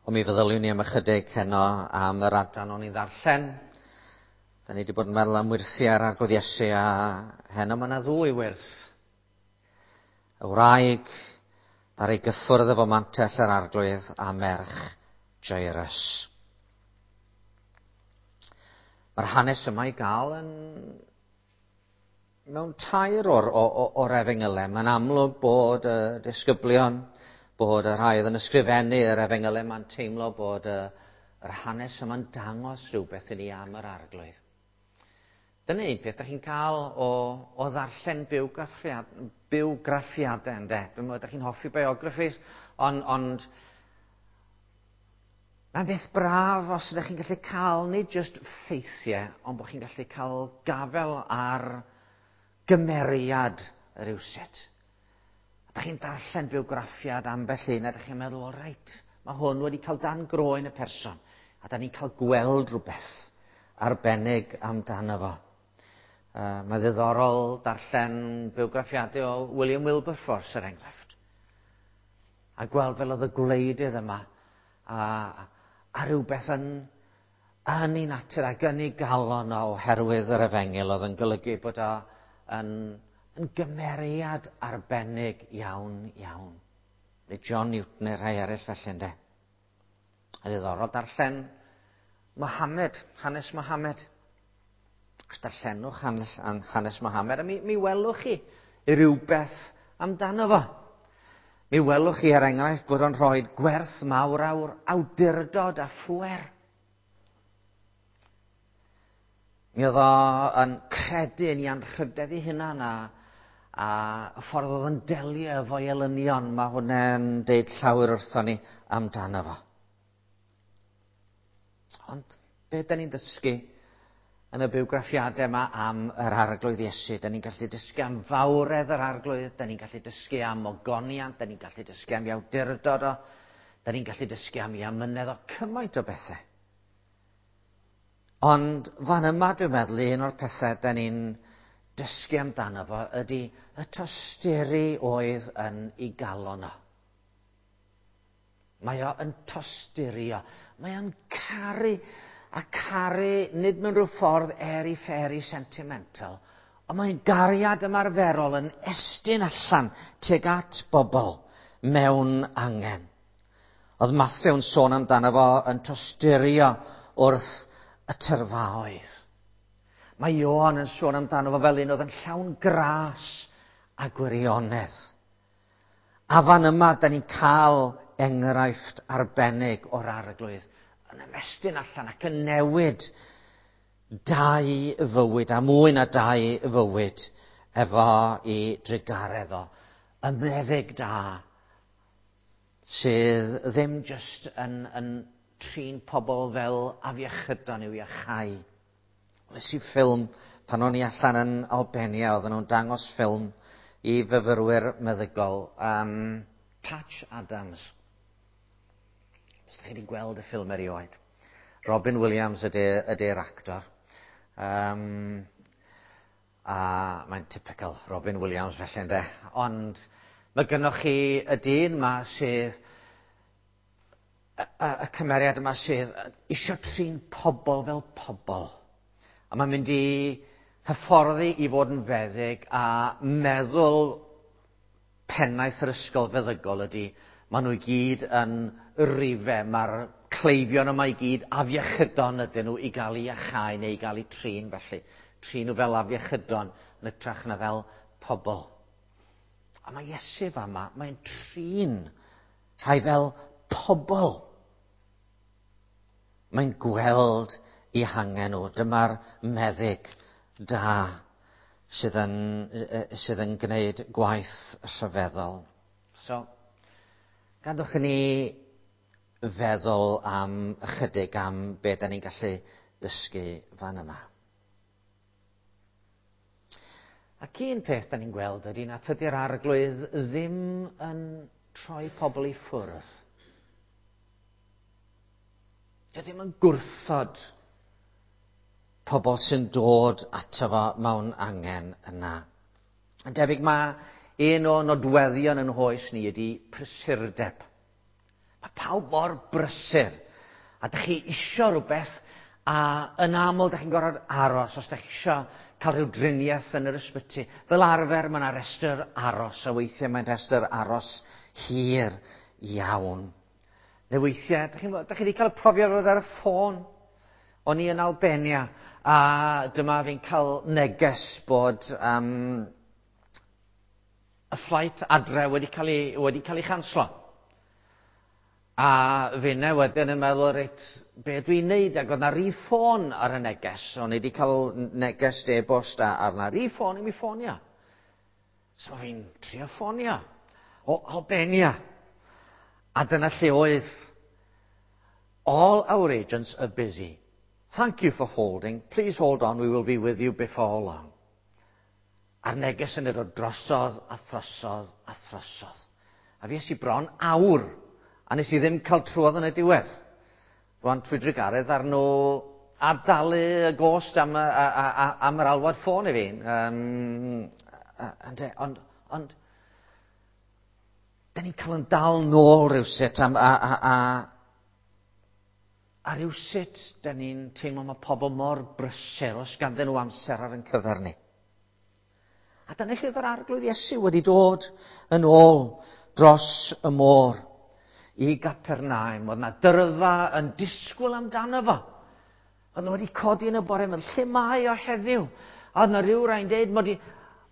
Ond mi feddyliwn ni am ychydig heno am yr adran o'n i'n ddarllen. Da ni wedi bod yn meddwl am wyrthiau ar Arglwydd Iesu a heno mae yna ddwy wyrth. Y wraig ar ei gyffwrdd efo mantell yr Arglwydd a merch Jairus. Mae'r hanes yma i gael yn mewn tair o'r, o'r efengylau. Mae'n amlwg bod y disgyblion, bod y rhai oedd yn ysgrifennu yr efengylau, mae'n teimlo bod y, yr hanes yma'n dangos rhywbeth i ni am yr arglwydd. Dyna un peth da chi'n cael o, o ddarllen bywgraffiad, bywgraffiadau, ynddo. Dwi'n meddwl, da chi'n hoffi biographies, ond, ond Mae'n beth braf os ydych chi'n gallu cael nid jyst ffeithiau, ond bod chi'n gallu cael gafel ar gymeriad rhywsut. A da chi'n darllen bywgraffiad ambell un a da chi'n meddwl, o reit, mae hwn wedi cael dan groen y person. A da ni'n cael gweld rhywbeth arbennig amdano fo. Mae ddiddorol darllen bywgraffiadau o William Wilberforce, er enghraifft. A gweld fel oedd y gwleidydd yma a, a rhywbeth yn, yn ei natur ac yn ei galon o oherwydd yr efengyl oedd yn golygu bod o yn, yn gymeriad arbennig iawn, iawn. Neu John Newton neu rhai eraill felly, ynddo. A ddiddorol darllen Mohammed, hanes Mohammed. Os darllenwch hanes, hanes Mohammed, a mi, mi welwch chi rhywbeth amdano fo. Mi welwch chi er enghraifft bod o'n rhoi gwerth mawr awr awdurdod a phwer. Mi oedd o yn credu yn ei anrhydedd ei hunan a, a y ffordd oedd yn delio efo'i elynion, mae hwnna'n deud llawer wrthon ni amdano fo. Ond be da ni'n dysgu yn y bywgraffiadau yma am yr arglwydd Iesu? Da ni'n gallu dysgu am fawredd yr arglwydd, da ni'n gallu dysgu am ogoniant, da ni'n gallu dysgu am iawdurdod o, da ni'n gallu dysgu am ei amynedd o, cymaint o bethau. Ond fan yma dwi'n meddwl un o'r pethau da ni'n dysgu amdano fo ydy y tosturi oedd yn ei galon o. Mae o yn tosturio. Mae o'n caru, a caru nid mewn rhyw ffordd airy-fairy sentimental, ond mae'n gariad ymarferol yn estyn allan tuag at bobl mewn angen. Oedd Matthew'n sôn amdano fo yn tosturio wrth y tyrfaoedd. Mae Ioan yn sôn amdano fo fel un oedd yn llawn gras a gwirionedd. A fan yma, da ni'n cael enghraifft arbennig o'r arglwydd yn ymestyn allan ac yn newid dau fywyd, a mwy na dau fywyd, efo i drugaredd o. Y meddyg da sydd ddim jyst yn, yn trin pobl fel afiechydon i'w iachau. Wnes i ffilm pan o'n i allan yn Albania, oedden nhw'n dangos ffilm i fyfyrwyr meddygol, um, Patch Adams. Os ydych chi wedi gweld y ffilm erioed. Robin Williams ydy'r ydy actor. Um, a mae'n typical Robin Williams felly ynde. Ond mae gynnwch chi y dyn yma sydd y, y, y cymeriad yma sydd eisiau trin pobl fel pobl. A mae'n mynd i hyfforddi i fod yn feddyg a meddwl pennaeth yr ysgol feddygol ydy maen nhw i gyd yn rife, mae'r cleifion yma i gyd afiechydon ydyn nhw i gael eu iachau neu i gael eu trin felly. Trin nhw fel afiechydon yn ytrach na fel pobl. A mae Iesu fama, mae'n trin rhai fel pobl. Mae'n gweld eu hangen nhw. Dyma'r meddyg da sydd yn, sydd yn gwneud gwaith rhyfeddol. So, gadwch i ni feddwl am ychydig am be da ni'n gallu dysgu fan yma. Ac un peth da ni'n gweld ydy na tydi'r arglwydd ddim yn troi pobl i ffwrdd. Dy ddim yn gwrthod pobl sy'n dod ato fo mewn angen yna. Yn debyg mae un o nodweddion yn hoes ni ydy prysurdeb. Mae pawb mor brysur. A dych chi isio rhywbeth, a yn aml dych chi'n gorfod aros os dych chi isio cael rhyw driniaeth yn yr ysbyty. Fel arfer mae yna restr aros, a weithiau mae'n restr aros hir iawn. Neu weithiau, dych chi'n dych chi wedi cael y profiad o fod ar y ffôn? O'n i yn Albania, a dyma fi'n cael neges bod y flight adre wedi cael ei, wedi cael ei chanslo. A finne wedyn yn meddwl, reit, be dwi'n neud? Ac oedd na rif ffôn ar y neges. O'n i wedi cael neges e-bost a ar na rif ffôn i mi ffonio. So fi'n trio ffonio o Albania. A dyna lle oedd. All our agents are busy. Thank you for holding. Please hold on, we will be with you before long. A'r neges yn dod drosodd a throsodd a throsodd. A fues i bron awr, a nes i ddim cael trwodd yn y diwedd. Rwan trwy drugaredd ar nhw ad-dalu y gost am, a, a, a, am yr alwad ffôn i fi. Ond, ond, da ni'n cael yn dal nôl rhywsut am, a, a, a, a rhywsut da ni'n teimlo mae pobl mor brysur os ganddyn nhw amser ar yn cyfer ni. A dyna lle oedd yr Arglwydd Iesu wedi dod yn ôl dros y môr i Gapernaum. Oedd na dyrfa yn disgwyl amdano fo. Oedd nhw wedi codi yn y bore, meddwl, lle mae o heddiw? A oedd na rhyw rai'n deud, mod i,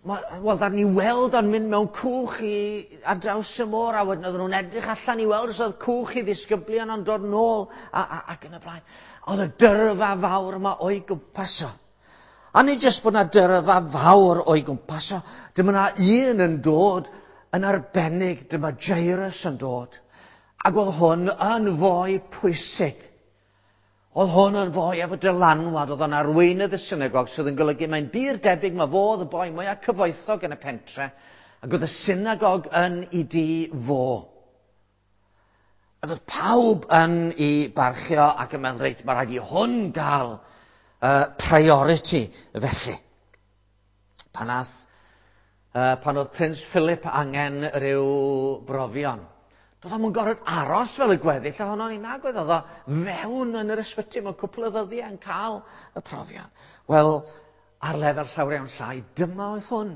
wel, ddaru ni weld o'n mynd mewn cwch i, ar draws y môr, a wedyn oedden nhw'n edrych allan i weld os oedd cwch i ddisgyblion o'n dod nôl, a, a, ac yn y blaen. Oedd y dyrfa fawr yma o'i gwmpas o. A nid jyst bod na dyrfa fawr o'i gwmpas o, dyma na un yn dod yn arbennig, dyma Jairus yn dod. Ac oedd hwn yn fwy pwysig. Oedd hwn yn fwy efo dylanwad, oedd o'n arweinydd y synagog, sydd yn golygu mae'n bur debyg mae fo oedd y boi mwyaf cyfoethog yn y pentre, ac oedd y synagog yn i di fo. Ac oedd pawb yn i barchio ac yn meddwl, reit, mae rhaid i hwn gael priority felly. Pan, ath, pan oedd Prince Philip angen rhyw brofion, doedd o'm yn gorfod aros fel y gweddill ohono ni, nag oedd oedd o fewn yn yr ysbyty mewn cwpl o ddyddiau yn cael y profion. Wel, ar lefel llawer iawn llai, dyma oedd hwn.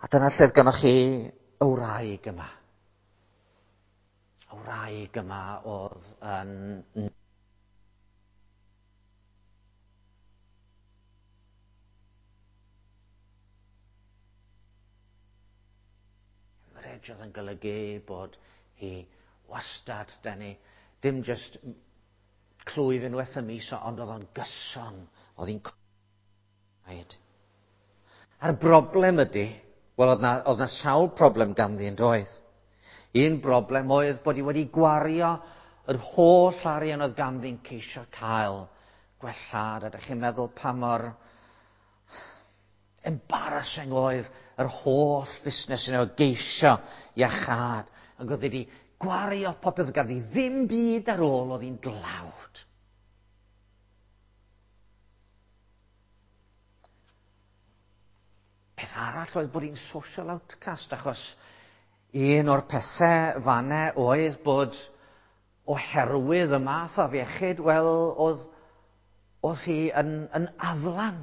A dyna lle oedd gynnoch chi y wraig yma. Y wraig yma oedd yn hemorrhage oedd yn golygu bod hi wastad, da ni, dim just clwyf unwaith y mis, ond oedd o'n gyson, oedd hi'n cwaed. A'r broblem ydy, wel, oedd na, oedd na sawl problem ganddi yn doedd. Un broblem oedd bod hi wedi gwario yr holl arian oedd ganddi'n ceisio cael gwellhad. A ydych chi'n meddwl pa mor embarrassing oedd yr holl fusnes yna o geisio iachâd. Ac oedd wedi gwario popeth oedd ganddi ddim byd ar ôl, oedd hi'n dlawd. Peth arall oedd bod hi'n social outcast, achos un o'r pethau fanne oedd bod oherwydd y math o afiechyd, wel, oedd, oedd hi yn, yn aflan.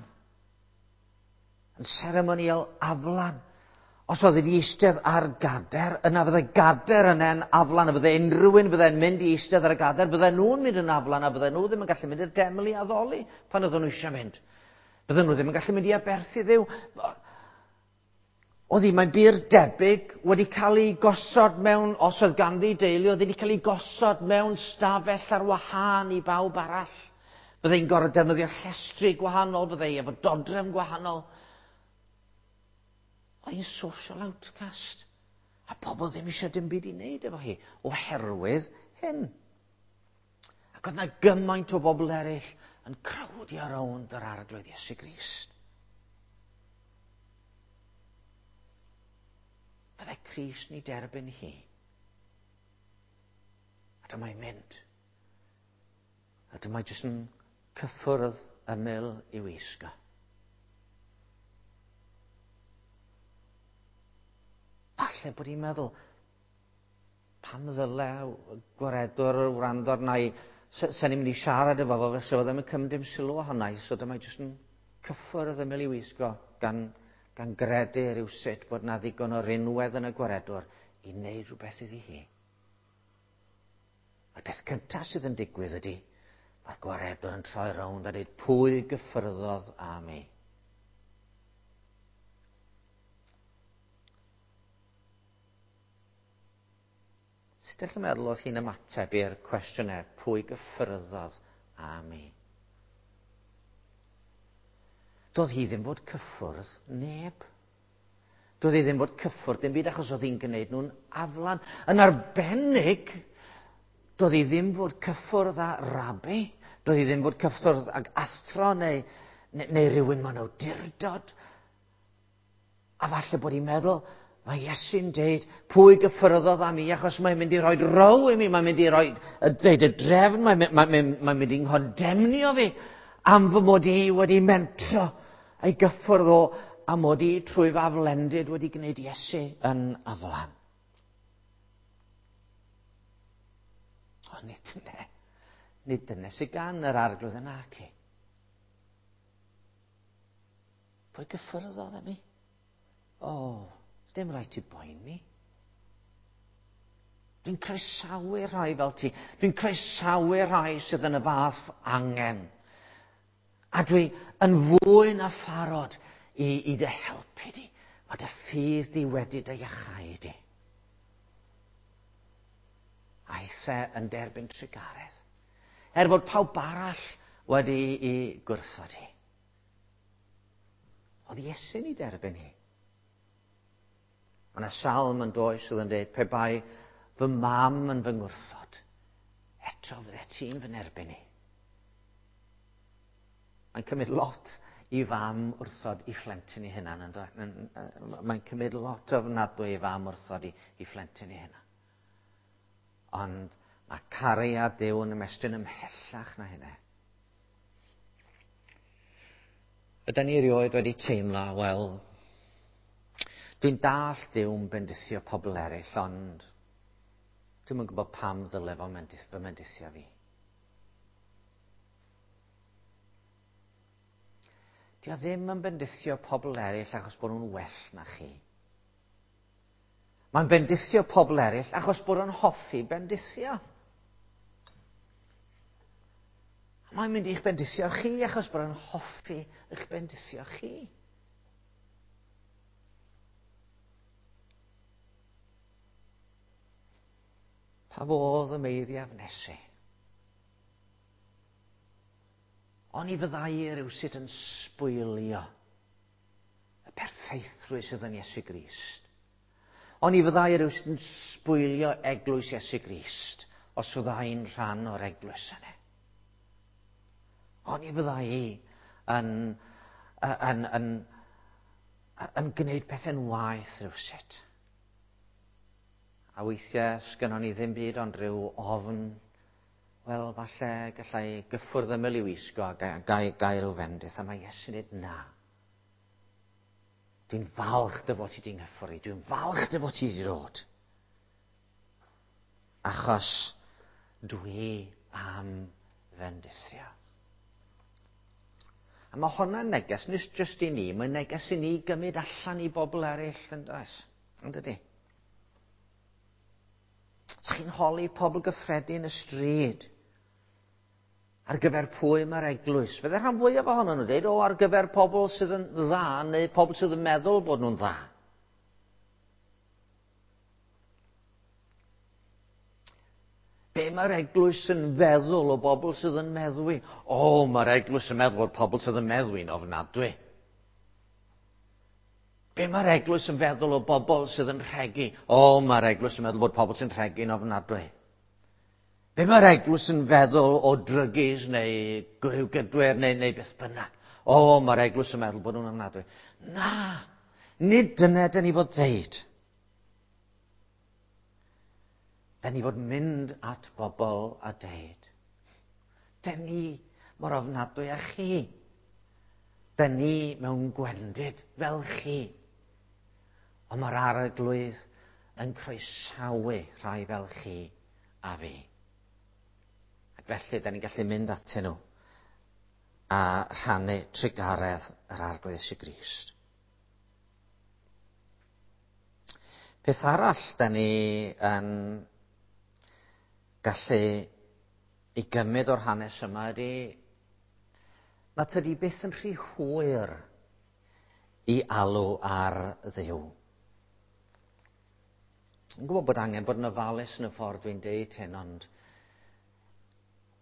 Yn seremoniol aflan. Os oedd wedi eistedd ar gader, yna fydde gader yna'n aflan, a fydde unrhyw un fydde'n mynd i eistedd ar y gader, bydde nhw'n mynd yn aflan, a bydde nhw ddim yn gallu mynd i'r deml i addoli pan oedden nhw eisiau mynd. Bydden nhw ddim yn gallu mynd i aberthu Dduw. Oedd hi, mae'n bur debyg, wedi cael ei gosod mewn, os oedd ganddi deulu, oedd wedi cael ei gosod mewn stafell ar wahân i bawb arall. Bydde hi'n gorfod defnyddio llestri gwahanol, bydde hi efo dodrefn gwahanol. Oedd hi'n social outcast. A pobl ddim eisiau dim byd i wneud efo hi, oherwydd hyn. Ac oedd yna gymaint o bobl eraill yn crowdio rownd yr Arglwydd Iesu Grist. Fydde Crist ni derbyn hi. A dyma'n mynd. A dyma jyst yn cyffwrdd ymyl i'w wisgo. Falle bod hi'n meddwl, Pam ddyle gwaredwr wrando arna i? Sen i'n mynd i siarad efo fo, fysa fo ddim yn cymryd dim sylw ohona i, so dyma i jyst yn cyffwrdd ymyl i wisgo gan, gan gredu rhywsut bod na ddigon o rinwedd yn y gwaredwr i wneud rhywbeth iddi hi. A'r peth cyntaf sydd yn digwydd ydy, mae'r gwaredwr yn troi rownd a dweud pwy gyffyrddodd â mi. Sut ydych chi'n meddwl oedd hi'n ymateb i'r cwestiynau pwy gyffyrddodd â mi? Doedd hi ddim fod cyffwrdd neb. Doedd hi ddim fod cyffwrdd dim byd achos oedd hi'n gwneud nhw'n aflan. Yn arbennig, doedd hi ddim fod cyffwrdd â rabi. Doedd hi ddim fod cyffwrdd ag athro neu, neu, neu rhywun mewn awdurdod. A falle bod hi'n meddwl, mae Iesu'n deud, pwy gyffyrddodd â mi, achos mae'n mynd i roi row i mi, mae'n mynd i roi deud y drefn, mae'n mae, mae, mae mynd i'n nghondemnio fi am fy mod i wedi mentro ei gyffwrdd o a mod i trwy fy aflendid wedi gwneud Iesu yn aflan. Ond nid dyna, nid dyna sydd gan yr arglwydd yna ci. Pwy gyffyrddodd â mi? O, oh, dim rhaid ti boeni. Dwi'n croesawu rhai fel ti. Dwi'n croesawu rhai sydd yn y fath angen. A dwi yn fwy na pharod i, i dy helpu di. Mae dy ffydd di wedi dy iachau di. Aeth e yn derbyn trugaredd. Er bod pawb arall wedi i gwrthod hi. Oedd Iesu'n ei derbyn hi. Mae yna salm yn does sydd yn dweud, pe bai fy mam yn fy ngwrthod, eto fydde ti'n fy nerbyn i. Mae'n cymryd lot i fam wrthod i phlentyn i hunan. Mae'n cymryd lot ofnadwy i fam wrthod i, i phlentyn i hunan. Ond mae cariad Duw yn ymestyn ymhellach na hynna. Ydy ni erioed wedi teimlo, wel, dwi'n dall Duw'n bendithio pobl eraill, ond dwi'm yn gwybod pam ddyle fo fy mendithio fi. Dio ddim yn bendithio pobl eraill achos bod nhw'n well na chi. Mae'n bendithio pobl eraill achos bod nhw'n hoffi bendithio. Mae'n mynd i'ch bendithio chi achos bod nhw'n hoffi eich bendithio chi. Pa fodd y meiddiaf nesu? Oni fyddai rhywsut yn sbwylio y perffeithrwydd sydd yn Iesu Grist. Oni fyddai rhywsut yn sbwylio eglwys Iesu Grist os fyddai'n rhan o'r eglwys yna. Oni fyddai yn, yn, yn, yn, gwneud pethau'n waeth rhywsut. A weithiau sgynnon ni ddim byd ond rhyw ofn wel, falle gallai gyffwrdd ymyl i wisgo a gael, gael rhyw fendith. A mae Iesu'n dweud na. Dwi'n falch dy fod ti di'n nghyffwrdd Dwi'n falch dy fod ti wedi dod. Achos dwi am fendithio. A mae hwnna'n neges, nid jyst i ni, mae'n neges i ni gymryd allan i bobl eraill, yn does? Yn dydy? Os chi'n holi pobl gyffredin y stryd, ar gyfer pwy mae'r eglwys? Fydde rhan fwyaf ohonyn nhw'n dweud, o, ar gyfer pobl sydd yn dda, neu pobl sydd yn meddwl bod nhw'n dda. Be mae'r eglwys yn feddwl o bobl sydd yn meddwi? O, mae'r eglwys yn meddwl bod pobl sydd yn meddwi'n ofnadwy. Be mae'r eglwys yn feddwl o bobl sydd yn rhegi? O, mae'r eglwys yn meddwl bod pobl sy'n rhegi'n ofnadwy. Be mae'r eglwys yn feddwl o drygis neu gwrywgydwyr neu, neu beth bynnag? O, mae'r eglwys yn meddwl bod nhw'n ofnadwy. Na, nid dyna dyn ni fod ddeud. Dyn ni fod mynd at bobl a deud. Dyn ni mor ofnadwy â chi. Dyn ni mewn gwendid fel chi. Ond mae'r arglwydd yn croesawu rhai fel chi a fi. Ac felly, da ni'n gallu mynd atyn nhw a rhannu trugaredd yr Arglwydd Iesu Grist. Peth arall da ni yn gallu ei gymryd o'r hanes yma ydy na tydi byth yn rhy hwyr i alw ar Dduw. Yn gwybod bod angen bod yn ofalus yn y ffordd dwi'n deud hyn, ond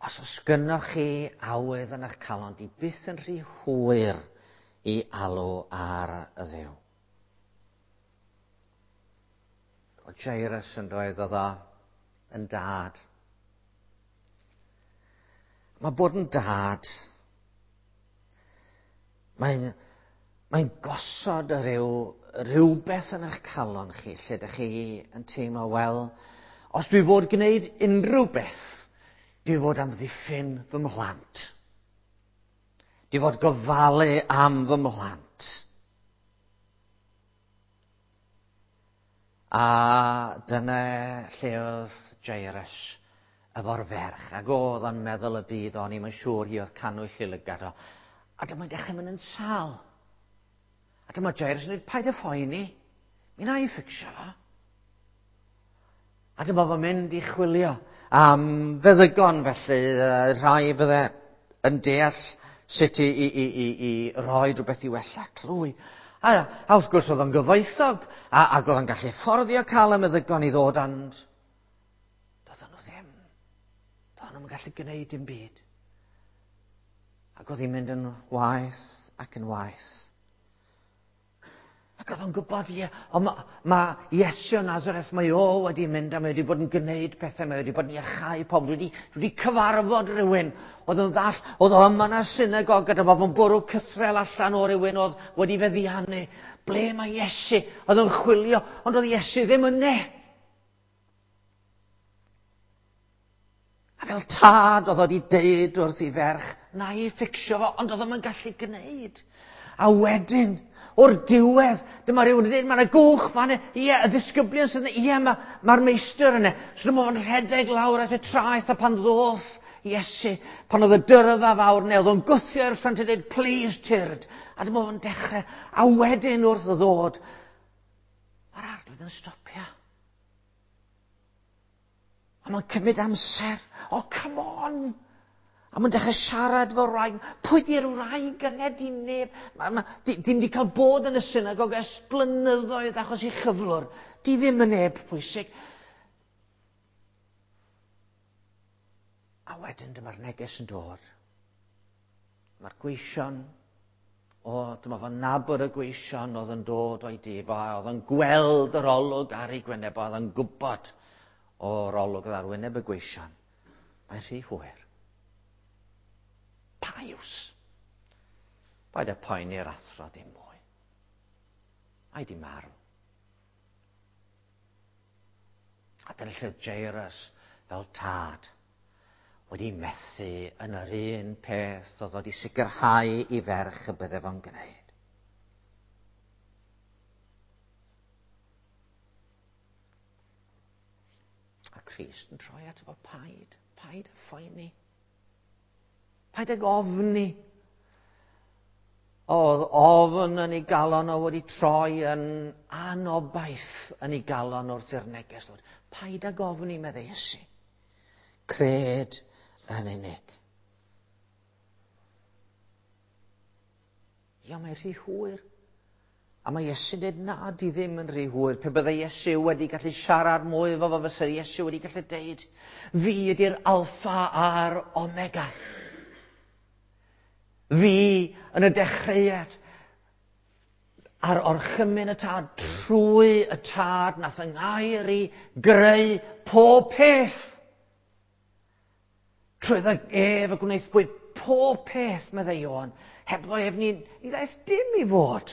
os oes gynnoch chi awydd yn eich calon, di byth yn rhy hwyr i alw ar y Dduw. O Jairus yn doedd oedd o yn dad. Mae bod yn dad, mae'n mae gosod y rhyw, rhywbeth yn eich calon chi, lle ydych chi yn teimlo, wel, os dwi fod gwneud unrhyw beth, dwi fod amddiffyn fy mhlant. Dwi fod gofalu am fy mhlant. A dyna lle oedd Jairus efo'r ferch, ac oedd o'n meddwl y byd o'n i'n siŵr hi oedd cannwyll i lygad o. A dyma'n dechrau mynd yn sâl. A dyma Jairus yn dweud, paid â phoeni, mi na i fficsio fo. A dyma fo'n mynd i chwilio am feddygon felly, rhai bydde yn deall sut i, i, i, i, i roi rhywbeth i wella clwy. A, a wrth gwrs oedd o'n gyfoethog, a, ac oedd o'n gallu fforddio cael y meddygon i ddod, ond doedden nhw ddim. Doedden nhw'n gallu gwneud dim byd. Ac oedd hi'n mynd yn waeth ac yn waeth. Ac oedd o'n gwybod, ie, ond mae ma Iesu o Nazareth, mae o wedi mynd a mae wedi bod yn gwneud pethau, mae wedi bod yn iachau pobl, dwi wedi, dwi wedi cyfarfod rhywun oedd yn ddall, oedd o yma yn y synagog gyda fo fo'n bwrw cythrel allan o rywun oedd wedi feddiannu. Ble mae Iesu? Oedd o'n chwilio, ond oedd Iesu ddim yne. A fel tad oedd wedi deud wrth i ferch, na i fficsio fo, ond oedd o'n gallu gwneud. A wedyn, o'r diwedd, dyma rhywun yn dweud, mae yna gwch fan ie, y disgyblion sydd yna, ie, mae'r ma meistr yna. So dyma fo'n rhedeg lawr at y traeth, a pan ddoth Iesu, pan oedd y dyrfa fawr neu, oedd o'n gwthio i'r ffrynt a dweud, please, tyrd. A dyma fo'n dechrau, a wedyn wrth ddod, mae'r arglwydd yn stopio. A mae'n cymryd amser. Oh, come on! A mae'n dechrau siarad efo wraig. Pwy di'r wraig yna? Di neb. Ma, ma, di, dim di cael bod yn y synagog ers blynyddoedd achos i chyflwr. Di ddim yn neb pwysig. A wedyn dyma'r neges yn dod. Mae'r gweision, o, dyma fo'n nabod y gweision oedd yn dod o'i dif, oedd yn gweld yr olwg ar ei gwyneb, oedd yn gwybod o'r olwg oedd ar wyneb y gweision. Mae'n rhy hwyr. Pa iws? Paid â poeni'r athro ddim mwy. Mae di marw. A dyna lle Jairus fel tad wedi methu yn yr un peth oedd wedi sicrhau i ferch y bydde fo'n gwneud. A Christ yn troi ato fo, paid, paid â phoeni. Paid ag ofni. Oedd ofn yn ei galon o wedi troi yn anobaith yn ei galon wrth i'r neges ddod. Paid ag ofni, meddai Iesu. Cred yn unig. Ia, mae rhy hwyr. A mae Iesu'n dweud, na, di ddim yn rhy hwyr. Pe byddai Iesu wedi gallu siarad mwy efo fo, fysa Iesu wedi gallu deud, fi ydy'r alffa a'r omega. Fi yn y dechreuad a'r orchymyn y tad, trwy y tad nath yng ngair i greu pob peth. Trwy ef y gwnaethpwyd pob peth, meddai Ioan. Hebddo ef ni, ni ddaeth dim i fod.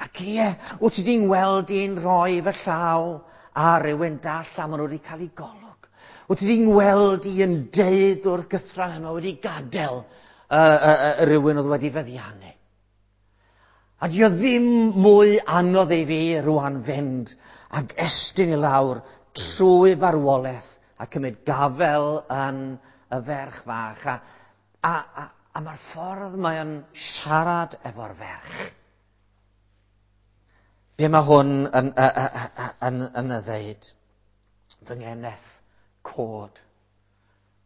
Ac ie, wyt ti di'n weld i'n rhoi fy llaw ar rywun dall a maen nhw wedi cael ei golwg. Wyt ti di'n weld i yn deud wrth gythral yma wedi gadael y, y, y, rywun oedd wedi feddiannu. A di o ddim mwy anodd i fi rwan fynd ac estyn i lawr trwy farwolaeth a cymryd gafel yn y ferch fach. A mae'r ffordd mae o'n siarad efo'r ferch. Be mae hwn yn y ddeud? Fy ngeneth, cod.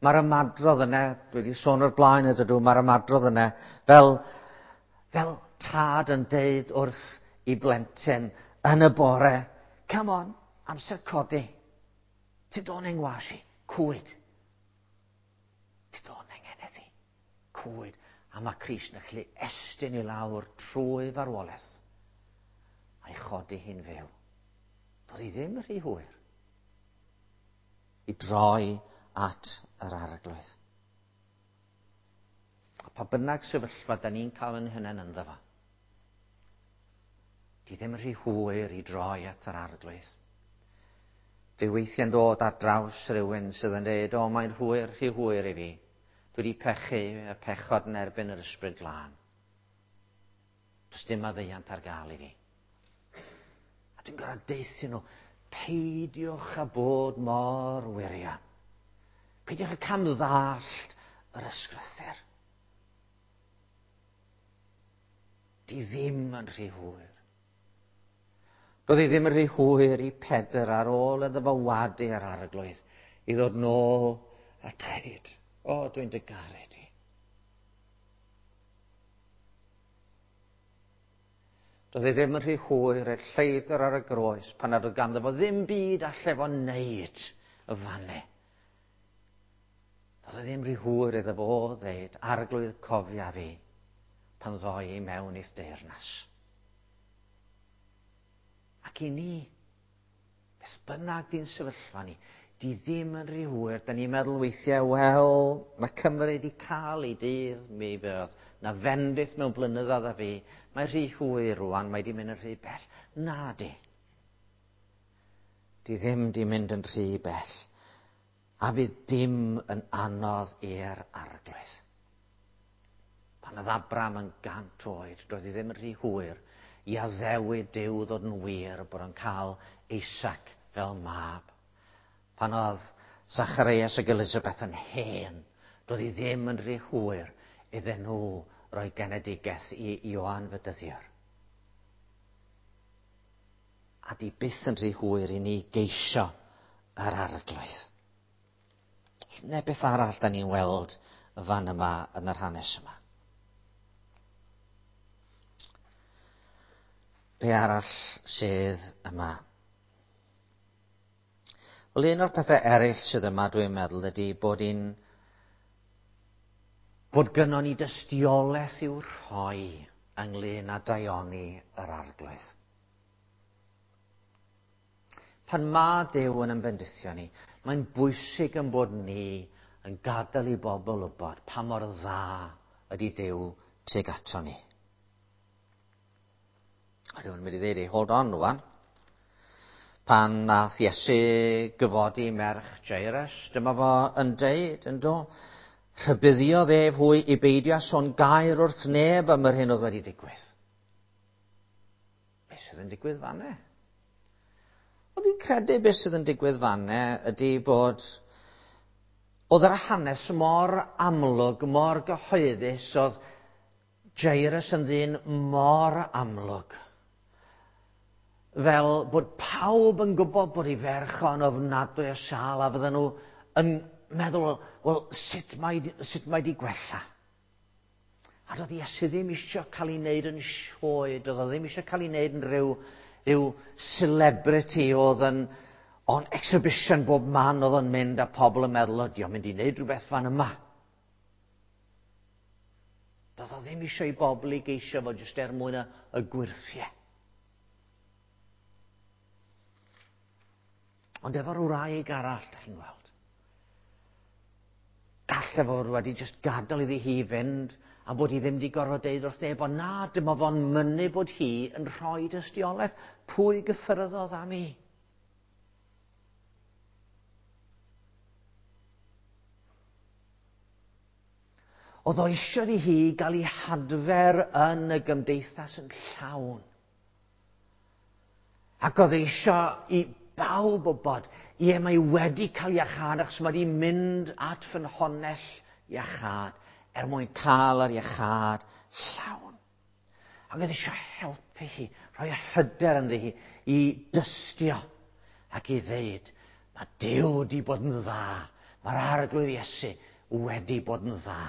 Mae'r ymadrodd yna, dwi wedi sôn o'r blaen ydw, mae'r ymadrodd yna fel tad yn deud wrth i blentyn yn y bore, come on, amser codi. Ti do'n engwas i, cwyd. Ti do'n engeneth i, cwyd. A mae Crist yn gallu estyn i lawr trwy farwolaeth a'i chodi hi'n fyw. Doedd hi ddim rhy hwyr i droi at yr Arglwydd. A pa bynnag sefyllfa da ni'n cael yn hunain ynddo fo, di ddim rhy hwyr i droi at yr Arglwydd. Dwi weithiau'n dod ar draws rhywun sydd yn dweud, o, mae'n hwyr, rhy hwyr i fi. Dwi wedi pechu y pechod yn erbyn yr Ysbryd Glân. Does dim maddeuant ar gael i fi. A dwi'n gorfod deuthu nhw, peidiwch â bod mor wirion. Peidiwch â camddallt yr ysgrythur. Di ddim yn rhy hwyr. Doedd hi ddim yn rhy hwyr i Pedr ar ôl iddo fo wadu ar Arglwydd i ddod nôl a deud, o, dwi'n dy garu di. Doedd hi ddim yn rhy hwyr i'r lleidr ar y groes pan nad oedd ganddo fo ddim byd alle fo wneud y fanne. Doedd hi ddim rhy hwyr iddo fo ddeud, Arglwydd, cofia fi pan ddoi i mewn i'th deyrnas. Ac i ni, beth bynnag di'n sefyllfa ni, di ddim yn rhy hwyr. Da ni'n meddwl weithiau, wel, mae Cymru wedi cael ei dydd, mi fydd na fendith mewn blynyddoedd a fi. Mae rhy hwyr rwan, mae di mynd yn rhy bell. Na di. Di ddim di mynd yn rhy bell. A fydd dim yn anodd i'r Arglwydd. Pan oedd Abram yn 100 oed, doedd hi ddim yn rhy hwyr i addewid Duw ddod yn wir bod o'n cael Isaac fel mab. Pan oedd Zacharias ac Elizabeth yn hen, doedd hi ddim yn rhy hwyr iddyn nhw roi genedigaeth i Ioan Fedyddiwr. A di byth yn rhy hwyr i ni geisio yr Arglwydd. Neu beth arall da ni'n weld y fan yma yn yr hanes yma. Be arall sydd yma? Wel, un o'r pethau eraill sydd yma, dwi'n meddwl, ydy bod bod gynnon ni dystiolaeth i'w rhoi ynglyn â daioni yr Arglwydd. Pan mae Duw yn ymfendithio ni, mae'n bwysig yn bod ni yn gadael i bobl wybod pa mor dda ydy Duw tuag ato ni. A rhywun mynd i ddweud, hold on rwan. Pan nath Iesu gyfodi merch Jairus, dyma fo yn deud, yn do, rhybuddiodd ef hwy i beidio sôn gair wrth neb am yr hyn oedd wedi digwydd. Beth sydd yn digwydd fanne? Wel, fi'n credu beth sydd yn digwydd fanne ydy bod oedd yr hanes mor amlwg, mor gyhoeddus, oedd Jairus yn ddyn mor amlwg. Fel bod pawb yn gwybod bod ei ferch o'n ofnadwy o sâl a fydden nhw yn meddwl, wel, sut mae di gwella? A doedd Iesu ddim eisiau cael ei wneud yn sioe, doedd o ddim eisiau cael ei wneud yn rhyw celebrity oedd yn on exhibition bob man oedd o'n mynd a pobl yn meddwl, o, di o'n mynd i wneud rhywbeth fan yma. Doedd o ddim eisiau i bobl i geisio fo jyst er mwyn y gwyrthiau. Ond efo'r wraig arall, da chi'n gweld. Galle fod wedi jyst gadael iddi hi fynd a bod hi ddim wedi gorfod deud wrth neb, ond na, dyma fo'n mynnu bod hi yn rhoi dystiolaeth. Pwy gyffyrddodd am i? Oedd o eisiau i hi gael ei hadfer yn y gymdeithas yn llawn. Ac oedd eisiau i bawb wybod, ie, mae wedi cael iachâd achos mae wedi mynd at ffynhonnell iachâd er mwyn cael yr iachâd llawn. Ac oedd eisiau helpu hi, rhoi hyder ynddi hi i dystio ac i ddeud, mae Duw wedi bod yn dda, mae'r Arglwydd Iesu wedi bod yn dda.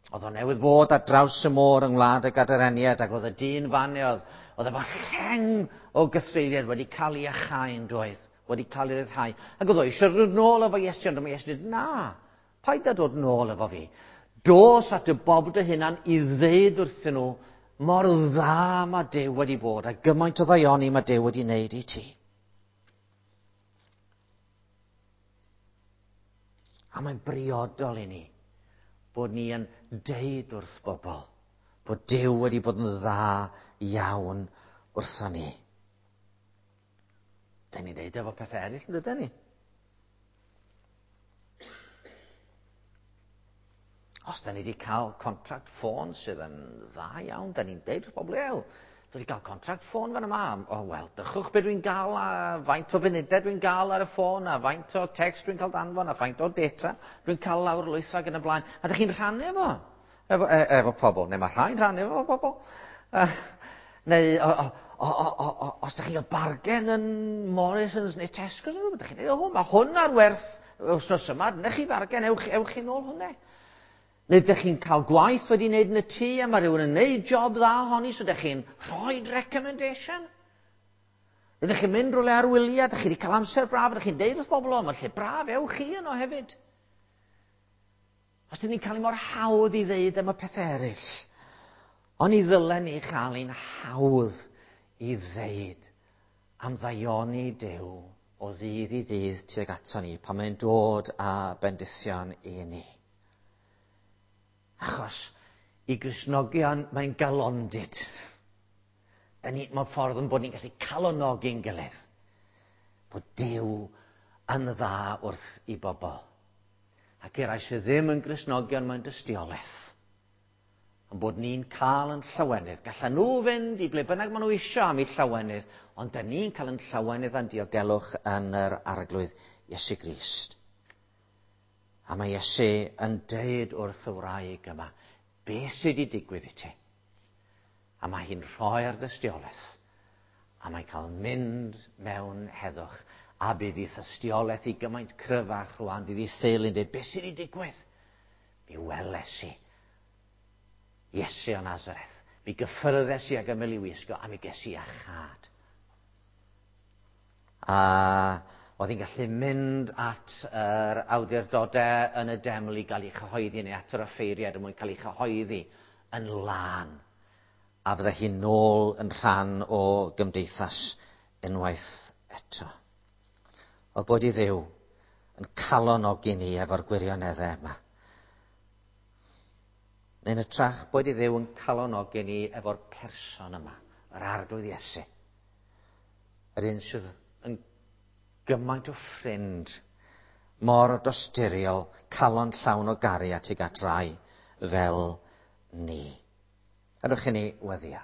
Oedd o newydd fod ar draws y môr yng ngwlad y Gadareniad ac oedd y dyn fan oedd, oedd efo lleng o gythreuliad wedi cael ei achau'n doedd, wedi cael ei ryddhau. Ac oedd o eisiau dod nôl efo Iesu, ond mae Iesu dweud, na, paid â dod nôl efo fi. Dos at y bobl dy hunan i ddeud wrthyn nhw mor dda mae Duw wedi bod a gymaint o ddaioni mae Duw wedi wneud i ti. A mae'n briodol i ni bod ni yn deud wrth bobl bod Duw wedi bod yn dda iawn wrthon ni. Da ni'n deud efo pethau eraill, yn dydyn ni? Os da ni wedi cael contract ffôn sydd yn dda iawn, da ni'n deud wrth bobl, ew, dwi wedi cael contract ffôn fan yma. O, wel, dychwch beth dwi'n gael a faint o funudau dwi'n gael ar y ffôn a faint o text dwi'n cael danfon a faint o data dwi'n cael lawr lwytho ac yn y blaen. A da chi'n rhannu efo, efo, e, efo pobl, neu mae rhai'n rhannu efo pobl. Neu o, o, o, o, o, os da chi'n cael bargen yn Morrisons neu Tesco, da chi'n dweud, o, mae hwn ar werth wythnos yma, dyna chi fargen, ewch, ewch chi nôl hwnna. Neu ydych chi'n cael gwaith wedi wneud yn y tŷ a mae rhywun yn wneud job dda ohoni, so ydych chi'n rhoi recommendation. Ydych chi'n mynd rhywle ar wyliau, ydych chi wedi cael amser braf, ydych chi'n deud wrth bobl o, mae lle braf, ewch chi yno hefyd. Os dyn ni'n cael ei mor hawdd i ddeud am y pethau eraill, ond i ddylen ni chael ein hawdd i ddeud am ddaioni Duw o ddydd i ddydd tuag ato ni pan mae'n dod â bendithion i ni. Achos i Gristnogion mae'n galondid. Da ni, mewn ffordd yn bod ni'n gallu calonogi'n gilydd. Bod Duw yn dda wrth i bobl. Ac i'r rhai sydd ddim yn Gristnogion mae'n dystiolaeth. Yn bod ni'n cael yn llawenydd. Gallan nhw fynd i ble bynnag maen nhw eisiau am eu llawenydd, ond da ni'n cael yn llawenydd a'n diogelwch yn yr Arglwydd Iesu Grist. A mae Iesu yn deud wrth y wraig yma, be sydd wedi digwydd i ti? A mae hi'n rhoi'r dystiolaeth. A mae'n cael mynd mewn heddwch. A bydd ei thystiolaeth i gymaint cryfach rwan. Bydd ei theulu'n dweud, be sydd wedi digwydd? Mi weles i Iesu o Nazareth. Mi gyffyrddes i ag ymyl i wisgo a mi ges i iachâd. A oedd hi'n gallu mynd at yr awdurdodau yn y deml i gael ei chyhoeddi neu at yr offeiriad er mwyn cael ei chyhoeddi yn lân. A fydde hi'n nôl yn rhan o gymdeithas unwaith eto. O bod i Dduw yn calonogi ni efo'r gwirioneddau yma. Neu'n hytrach bod i Dduw yn calonogi ni efo'r person yma, yr Arglwydd Iesu. Yr un sydd yn gymaint o ffrind, mor dosturiol, calon llawn o gariad tuag at rai fel ni. Gadewch i ni weddïo.